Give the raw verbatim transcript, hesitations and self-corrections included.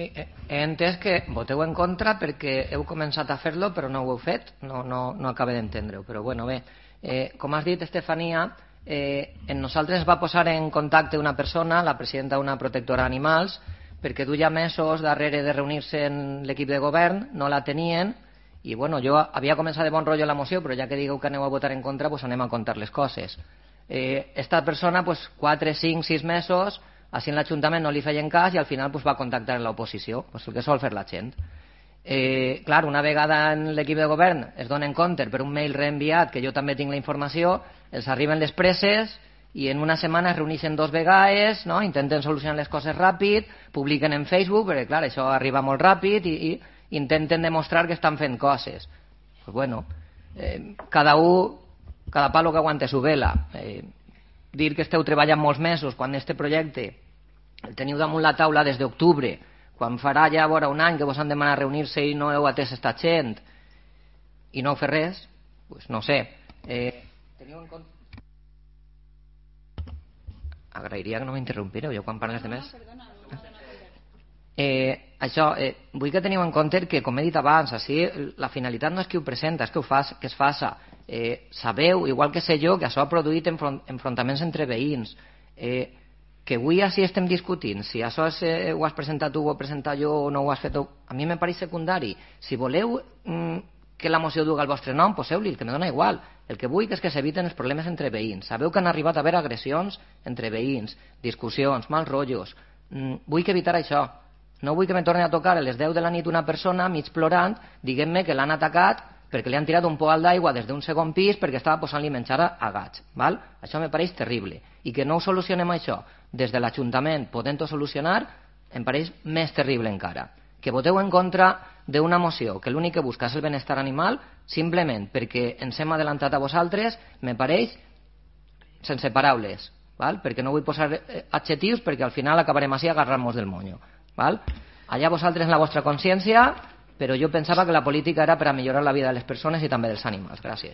Sí, he entès que voteu en contra perquè heu començat a fer-lo però no ho heu fet, no, no, no acabo d'entendre-ho, però bueno, bé, eh, com has dit, Estefania, eh, en nosaltres va posar en contacte una persona, la presidenta d'una protectora d'animals, perquè duia mesos darrere de reunir-se en l'equip de govern, no la tenien, i bueno, jo havia començat de bon rotllo la moció, però ja que digueu que aneu a votar en contra, pues anem a contar les coses. Eh, esta persona, pues, quatre, cinc, sis mesos, així en l'Ajuntament no li feien cas i al final pues, va contactar amb l'oposició, pues, el que sol fer la gent. Eh, clar, una vegada en l'equip de govern es donen compte per un mail reenviat, que jo també tinc la informació, els arriben les presses i en una setmana es reuneixen dos vegades, no? Intenten solucionar les coses ràpid, publiquen en Facebook, perquè clar, això arriba molt ràpid i, i intenten demostrar que estan fent coses. Pues bueno, eh, cada un, cada palo que aguante su vela. Eh, dir que esteu treballant molts mesos quan este projecte el teniu damunt la taula des d'octubre, quan farà ja vora un any que vos han demanat reunir-se i no heu atès esta gent i no heu fet res, pues no sé. Eh, teniu en compte... Agrairia que no m'interrompireu jo quan parles de més. Eh, això, eh, vull que teniu en compte que, com he dit abans, així, la finalitat no és qui ho presenta, és que, ho fas, que es faça. Eh, sabeu, igual que sé jo, que això ha produït enfront, enfrontaments entre veïns, eh, que avui així estem discutint si això és, eh, ho has presentat tu, ho he presentat jo o no ho has fet tu, a mi me pareix secundari. Si voleu mm, que la moció duga el vostre nom, poseu-li, que me dona igual. El que vull és que s'eviten els problemes entre veïns. Sabeu que han arribat a haver agressions entre veïns, discussions, mals rotllos. Mm, vull que evitar això. No vull que me torni a tocar a les deu de la nit una persona mig plorant diguent-me que l'han atacat perquè li han tirat un poal d'aigua des d'un segon pis perquè estava posant-li menjar a gats. Val? Això me pareix terrible. I que no ho solucionem això des de l'Ajuntament podent-ho solucionar em pareix més terrible encara. Que voteu en contra d'una moció que l'únic que busca és el benestar animal simplement perquè ens hem adelantat a vosaltres me pareix sense paraules. Val? Perquè no vull posar adjectius perquè al final acabarem així agarrant-nos del monyo. Val? Allà vosaltres en la vostra consciència, però jo pensava que la política era per a millorar la vida de les persones i també dels animals. Gràcies.